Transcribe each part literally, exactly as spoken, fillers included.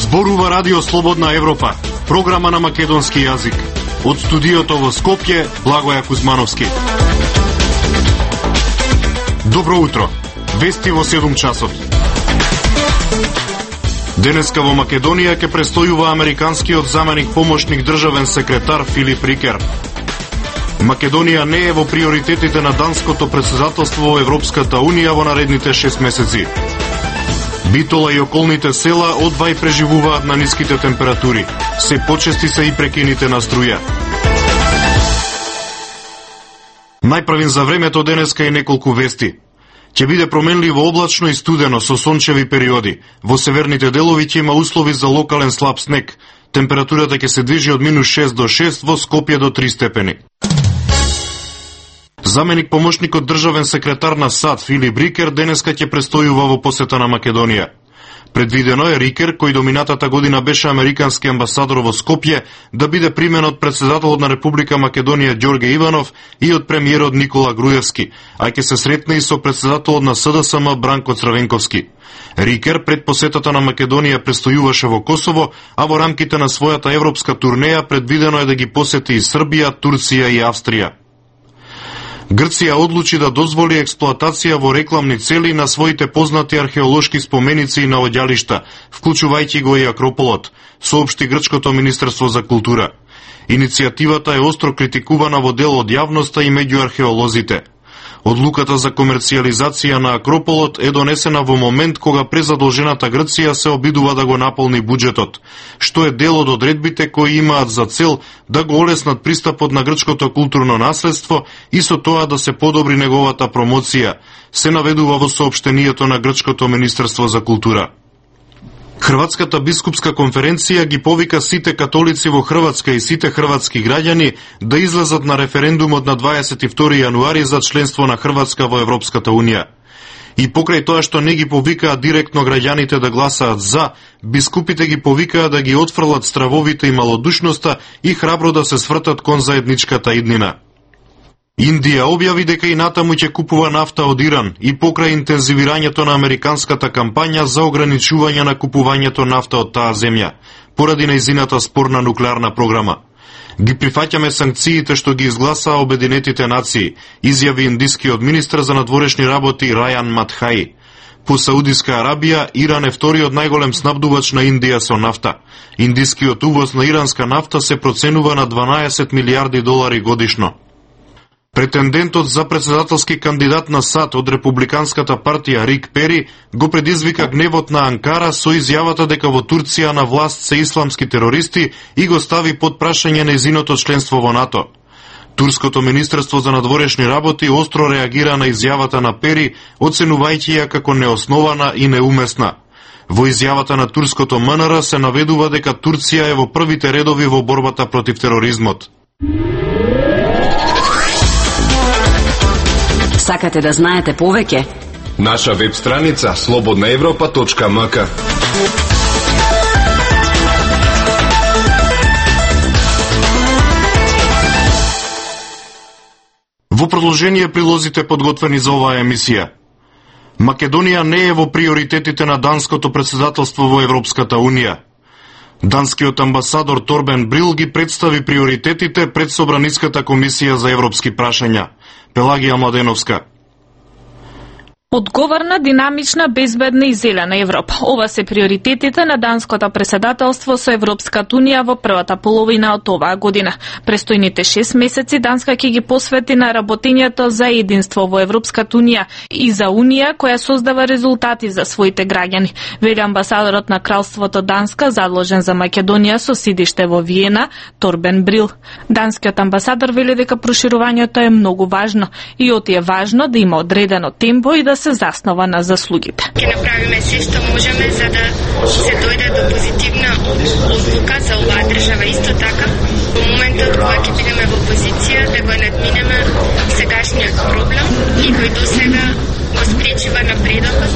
Зборува Радио Слободна Европа, програма на македонски јазик. Од студиото во Скопје, Благоја Кузмановски. Добро утро. Вести во седум часот. Денеска во Македонија ќе престојува американскиот заменик помошник државен секретар Филип Рикер. Македонија не е во приоритетите на данското претседателство во Европската Унија во наредните шест месеци. Битола и околните села одвај преживуваат на ниските температури. Се почести се и прекините на струја. Најправим за времето денеска и неколку вести. Ќе биде променливо облачно и студено со сончеви периоди. Во северните делови ќе има услови за локален слаб снег. Температурата ќе се движи од минус шест до шест, во Скопје до три степени. Заменик помошникот државен секретар на САД Филип Рикер денеска ќе престојува во посета на Македонија. Предвидено е Рикер, кој до минатата година беше американски амбасадор во Скопје, да биде примен од претседателот на Република Македонија Ѓорге Иванов и од премиерот Никола Груевски, а ќе се сретне и со претседателот на СДСМ Бранко Црвенковски. Рикер пред посетата на Македонија престојуваше во Косово, а во рамките на својата европска турнеја предвидено е да ги посети и Србија, Турција и Австрија. Грција одлучи да дозволи експлоатација во рекламни цели на своите познати археолошки споменици и наоѓалишта, вклучувајќи го и Акрополот, соопшти грчкото Министерство за култура. Иницијативата е остро критикувана во дел од јавноста и меѓу археолозите. Одлуката за комерцијализација на Акрополот е донесена во момент кога презадолжената Грција се обидува да го наполни буџетот, што е дел од одредбите кои имаат за цел да го олеснат пристапот на грчкото културно наследство и со тоа да се подобри неговата промоција, се наведува во соопштението на грчкото Министерство за култура. Хрватската бискупска конференција ги повика сите католици во Хрватска и сите хрватски граѓани да излезат на референдумот на дваесет и втори јануари за членство на Хрватска во Европската Унија. И покрај тоа што не ги повикаа директно граѓаните да гласаат за, бискупите ги повикаа да ги отфрлат стравовите и малодушноста и храбро да се свртат кон заедничката иднина. Индија објави дека и натаму ќе купува нафта од Иран и покрај интензивирањето на американската кампања за ограничување на купувањето нафта од таа земја, поради нејзината спорна нуклеарна програма. Ги прифаќаме санкциите што ги изгласаа Обединетите нации, изјави индискиот министер за надворешни работи Рајан Матхаи. По Саудиска Арабија, Иран е вториот најголем снабдувач на Индија со нафта. Индискиот увоз на иранска нафта се проценува на дванаесет милијарди долари годишно. Претендентот за претседателски кандидат на САД од Републиканската партија Рик Пери го предизвика гневот на Анкара со изјавата дека во Турција на власт се исламски терористи и го стави под прашање нејзиното членство во НАТО. Турското Министерство за надворешни работи остро реагира на изјавата на Пери, оценувајќи ја како неоснована и неумесна. Во изјавата на турското МНР се наведува дека Турција е во првите редови во борбата против тероризмот. Сакате да знаете повеќе? Наша веб страница слободна европа точка ем ка. Во продолжение прилозите подготвени за оваа емисија. Македонија не е во приоритетите на данското претседателство во Европската Унија. Данскиот амбасадор Торбен Брил ги представи приоритетите пред Собраниската комисија за европски прашања. Пелагија Младеновска. Одговорна, динамична, безбедна и зелена Европа. Ова се приоритетите на данското претседателство со Европската Унија во првата половина од оваа година. Престојните шест месеци Данска ќе ги посвети на работењето за единство во Европската Унија и за Унија која создава резултати за своите граѓани. Вели амбасадорот на Кралството Данска, задолжен за Македонија со сидиште во Виена, Торбен Брил. Данскиот амбасадор вели дека проширувањето е многу важно и оти е важно да има одредено темпо и да се заснова на заслугите. Ќе направиме се што можеме за да се дојде до позитивна одлука за оваа држава. Исто така, во моментот кога ќе бидеме во позиција да го надминеме сегашниот проблем и кој досега го спречива напредокот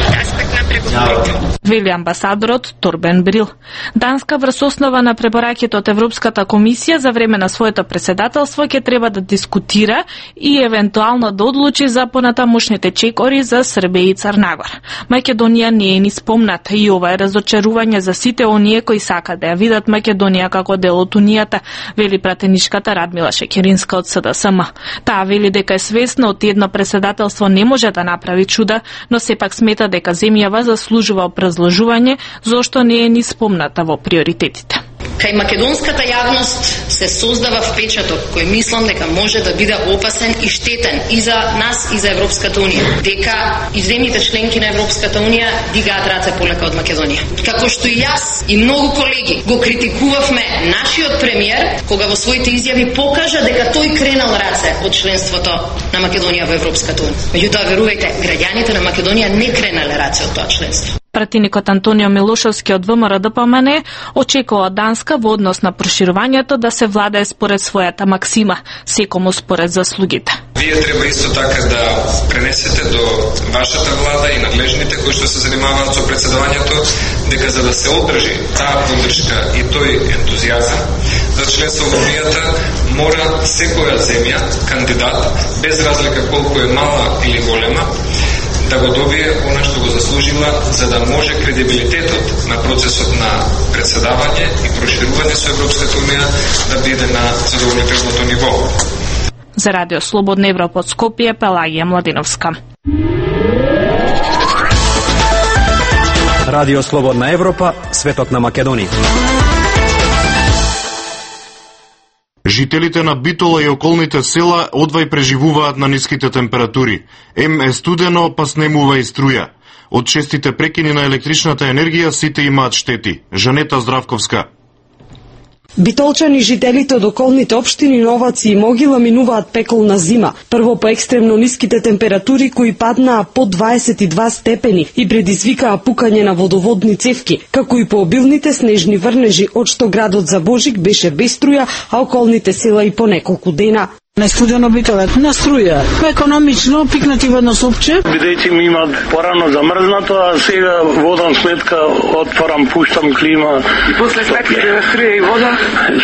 од аспект на преговорите. Вели амбасадорот Торбен Брил. Данска врз основа на препораките од Европската комисија за време на своето преседателство ќе треба да дискутира и евентуално да одлучи за понатамошните чекори за Србија и Црнагора. Македонија не е ни спомната и ова е разочарување за сите оние кои сакаат да ја видат Македонија како дел од Унијата, вели пратеничката Радмила Шекеринска од С Д С М. Таа вели дека е свесна од едно преседателство не може да направи чуда, но сепак смета дека земјава заслужува образложување зошто не е ни спомната во приоритетите. Кај македонската јавност се создава впечаток кој мислам дека може да биде опасен и штетен и за нас и за Европската Унија, дека и земјите членки на Европската Унија дигаат раце полека од Македонија. Како што и јас и многу колеги го критикувавме нашиот премиер кога во своите изјави покажа дека тој кренал раце од членството на Македонија во Европската Унија. Меѓутоа, верувајте, граѓаните на Македонија не кренале раце од тоа членство. Пратеникот Антонио Милошевски од В М Р Д П М Н очекува Данска во однос на проширувањето да се владае според својата максима, секому според заслугите. Вие треба исто така да пренесете до вашата влада и надлежните кои што се занимаваат со председавањето дека за да се одржи таа поддршка и тој ентузијазам за членство во Унијата мора секоја земја кандидат без разлика колку е мала или голема да го добие она што го заслужила за да може кредибилитетот на процесот на председавање и проширување со Европската Унија да биде на задоволителното ниво. За Радио Слободна Европа од Скопје, Пелагија Младиновска. Радио Слободна Европа, светот на Македонија. Жителите на Битола и околните села одвај преживуваат на ниските температури. Ем е студено, па снемува и струја. Од честите прекини на електричната енергија сите имаат штети. Жанета Здравковска. Битолчани и жителите од околните општини Новаци и Могила минуваат пеколна зима. Прво по екстремно ниските температури кои паднаа под дваесет и два степени и предизвикаа пукање на водоводни цевки, како и по обилните снежни врнежи, од што градот за Божик беше без струја, а околните села и по неколку дена. Најстудено битолет на струја. Економично пикнати во едно супче. Бидејќи ми имат порано замрзнато, а сега водам сметка, отварам, пуштам клима. И после сметките струја и вода?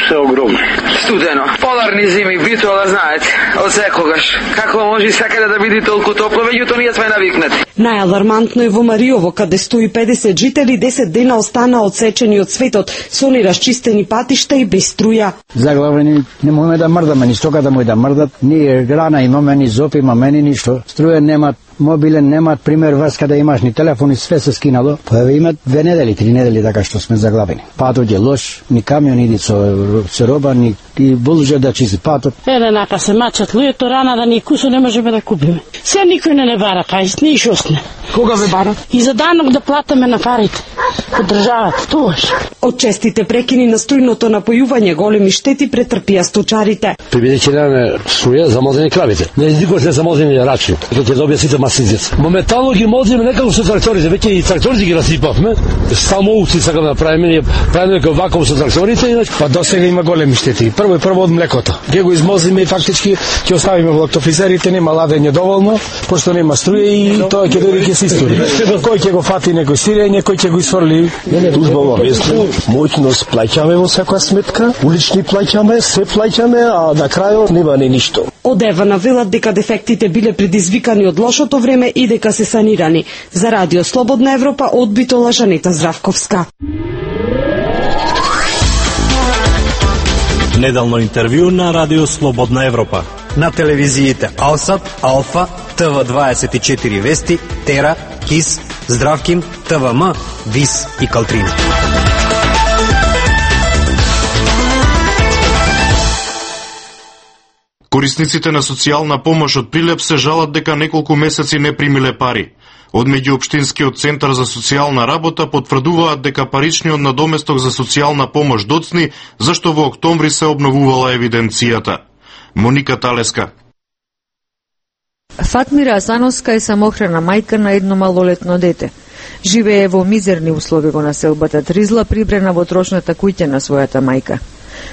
Се огромни. Студено. Поларни зими, Битола знаете, од секогаш. Како може секаде да биде толку топло, меѓутоа ние сме навикнати. Најалармантно е во Мариово, каде сто и педесет жители десет дена останаа одсечени од светот, со нерасчистени патишта и без струја. Заглавени не можеме да мрдаме, ни стоката мој да мрдат, ни грана имаме, ни зоп имаме, ни ништо. Струја немат, мобилен немат, пример врска да имаш, ни телефон и све се скинало. Па имат две недели, три недели така што сме заглавени. Патот е лош, ни камион иди со, со роба, ни и булже да чисти патот. Еле нака се мачат луѓето рана да ни кусо не можеме да купиме. Се никој не не бара, кај ни шосне. Кога ве бара? И за данок да платиме на парите. Од државата, тоаш. Од честите прекини на струјното напојување големи штети претрпија сточарите. Бидејќи немаме струја, замозени кравите. Не никош не замозени рачи. Тоа ќе добија сите масизец. Моментално ги мозиме некако со тракторите, веќе и тракторите ги расипавме. Само овци сакаме да правиме, ние правиме како вакуум со тракторите, иначе па досега има големи штети. Прво и прво од млекото. Ке го измозиме и фактички ќе оставиме во лактофризерите, нема ладење доволно, пошто нема струја и тоа ќе дојде ќе се истори. Кој ќе го фати некој сирење, кој ќе го исфрли. Узбава весно, моќност плаќаме во секоја сметка, улични плаќаме, се плаќаме, а на крајот нема ни ништо. Од Ева навелат дека дефектите биле предизвикани од лошото време и дека се санирани. За Радио Слободна Европа од Битола, Жанета Здравковска. Неделно интервју на Радио Слободна Европа. На телевизиите Алсат, Алфа, Т В дваесет и четири Вести, Тера, Кис, Здравким, Т В М, Вис и Калтрина. Корисниците на социјална помош од Прилеп се жалат дека неколку месеци не примиле пари. Од меѓуопштинскиот центар за социјална работа потврдуваат дека паричниот надоместок за социјална помош доцни, зашто во октомври се обновувала евиденцијата. Моника Талеска. Фатмира Асановска е самохрана мајка на едно малолетно дете. Живее во мизерни услови во населбата Тризла, прибрена во трошната куќа на својата мајка.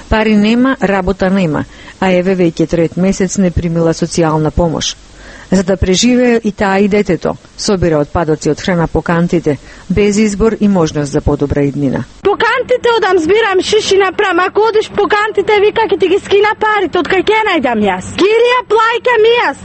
Пари нема, работа нема, а еве веќе трет месец не примила социјална помош. За да преживее и таа и детето, Собира отпадоци од храна по кантите, без избор и можност за подобра иднина. По кантите одам збирам шиши направам, ако одиш по кантите вика ќе ти ги скина парите, од кај ќе најдам јас? Кирија плајка ми јас.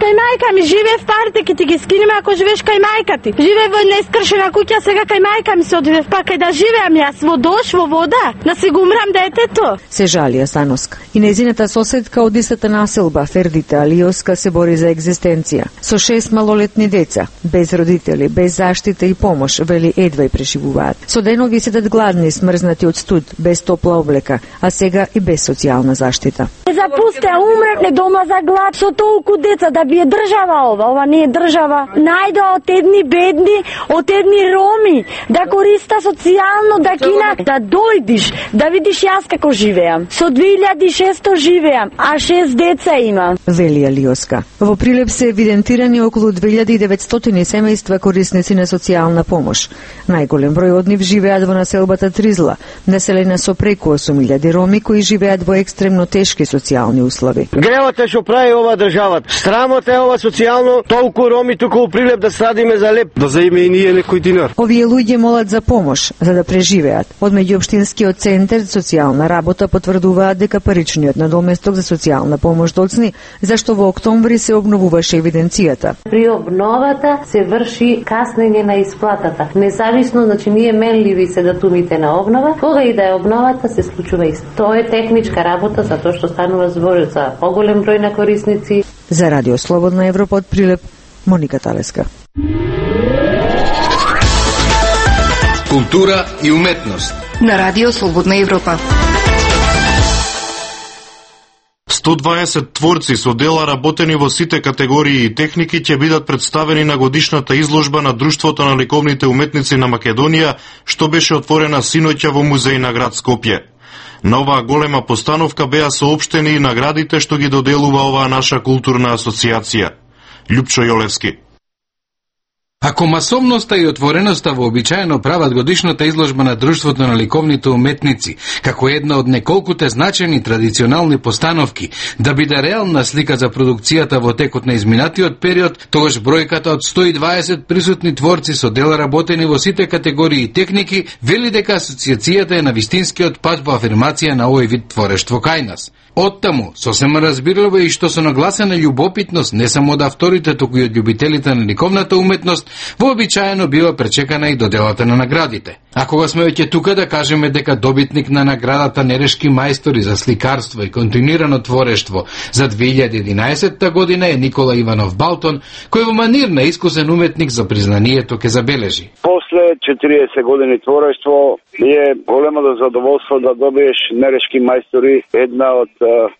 Кај мајка ми живее в парите, ќе ти ги скинеме ако живееш кај мајка ти. Живее во нескршена куќа, сега кај мајка ми се одивев, па кај да живеам јас во дош, во вода, да си го умрам детето. Се жалија Sanoska. И незината соседка од истата населба, Фердита Алиоска, се бори за екзистенција. Со шест малолетни деца, без родители, без заштита и помош, вели едва и преживуваат. Со денови седат гладни, смрзнати од студ, без топла облека, а сега и без социјална заштита. Запусте, умревне дома за глад со толку деца, да би е држава ова, ова не е држава. Најде од едни бедни, од едни роми, да користа социјално, да кина, да дојдиш, да видиш јас како живеам. Со две илјади и шеста живеам, а шест деца имам. Вели Алиоска. Во Прилеп се евидентирани околу две илјади и деветстотини семејства корисници на социјална помош. Најголем број од нив живеат во населбата Тризла, населена со преку осум илјади роми кои живеат во екстремно тешки социјални услови. Гревот е што прави ова државата. Срамот е ова социјално, толку роми туку у Прилеп да страдиме за леп, да заиме и ние некој динар. Овие луѓе молат за помош за да преживеат. Од меѓуопштинскиот центар за социјална работа потврдуваат дека паричниот надоместок за социјална помош доцни, зашто во октомври се обновуваше евиденцијата. При обновата се врши каснење на исплатата. Независно, значи ние менливи се датумите на обнова, кога и да е обновата се случува исто. Тоа е техничка работа затоа што станува збор за поголем број на корисници. За Радио Слободна Европа од Прилеп, Моника Талеска. Култура и уметност на Радио Слободна Европа. сто дваесет творци со дела работени во сите категории и техники ќе бидат представени на годишната изложба на Друштвото на ликовните уметници на Македонија, што беше отворена синоќа во музеј на град Скопје. На оваа голема постановка беа соопштени и наградите што ги доделува оваа наша културна асоциација. Љупчо Јолевски. Ако масовноста и отвореноста вообичаено прават годишната изложба на Друштвото на ликовните уметници, како една од неколкуте значени традиционални постановки, да биде реална слика за продукцијата во текот на изминатиот период, тогаш бројката од сто и дваесет присутни творци со дела работени во сите категории и техники вели дека асоциацијата е на вистинскиот пат во афирмација на овој вид творештво кај нас. Оттаму, сосема разбирливо и што со нагласена љубопитност не само од авторите, туку и од љубителите на ликовната уметност, вообичаено бива пречекана и доделата на наградите. А кога сме веќе тука да кажеме дека добитник на наградата Нерешки мајстори за сликарство и континуирано творештво за две илјади и единаесетта година е Никола Иванов Балтон, кој во манир на искусен уметник за признанието ке забележи. После четириесет години творештво е големо задоволство да добиеш Нерешки мајстори, една од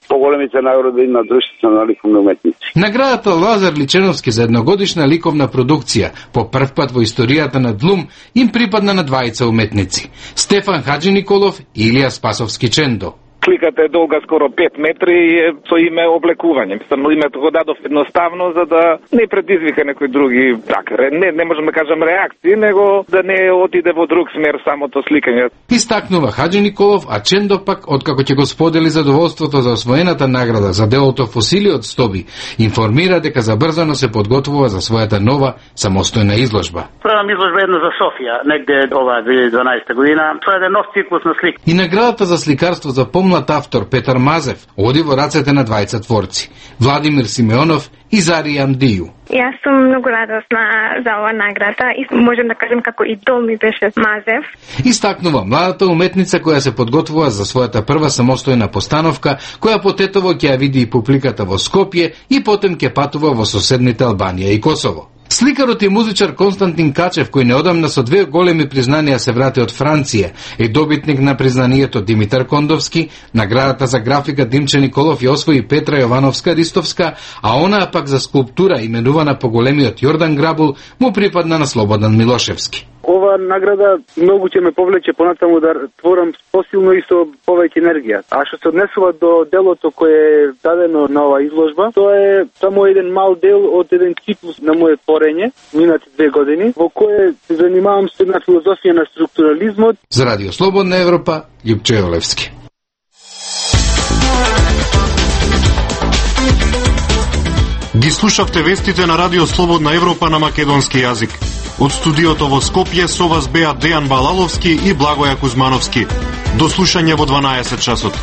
поголемите награди на Друштвото на ликовни уметници. Наградата Лазар Личеновски за едногодишна ликовна продукција по прв пат во историјата на Длум им припадна на двајца уметници: Стефан Хаджи Николов и Илија Спасовски Чендо. Сликата е долга скоро пет метри и е со име облекување. Мислам, името го дадов едноставно за да не предизвика некои други, така, не, не можам да кажам реакции, него да не отиде во друг смер самото сликање. Истакнува Хаджи Николов, а Чендо пак, откако ќе го сподели задоволството за освоената награда за делото Фосили од стоби, информира дека забрзано се подготвува за својата нова самостојна изложба. Правам изложба една за Софија, негде ова две илјади и дванаесета година. Тоа е нов циклус на слика. И наградата за сликарство за помлад автор Петар Мазев оди во рацете на двајца творци: Владимир Симеонов и Зари Амдију. Јас сум многу радосна за оваа награда и можем да кажем како идол ми беше Мазев. Истакнува младата уметница која се подготвува за својата прва самостојна постановка, која потетово ќе ја види и публиката во Скопје и потем ќе патува во соседните Албанија и Косово. Сликарот и музичар Константин Качев, кој неодамна со две големи признанија се врати од Франција, е добитник на признанието Димитар Кондовски, наградата за графика Димче Николов ја освои Петра Јовановска-Ристовска, а онаа пак за скулптура, именувана по големиот Јордан Грабул, му припадна на Слободан Милошевски. Ова награда многу ќе ме повлече понатаму да творам посилно и со повеќе енергија. А што се однесува до делото кое е дадено на оваа изложба, тоа е само еден мал дел од еден циклус на мојот творење, минати две години, во кое се занимавам со една филозофија на структурализмот. За Радио Слободна Европа, Љупчо Јолевски. Ги слушавте вестите на Радио Слободна Европа на македонски јазик. Од студиото во Скопје со вас беа Дејан Балаловски и Благоја Кузмановски. До слушање во дванаесет часот.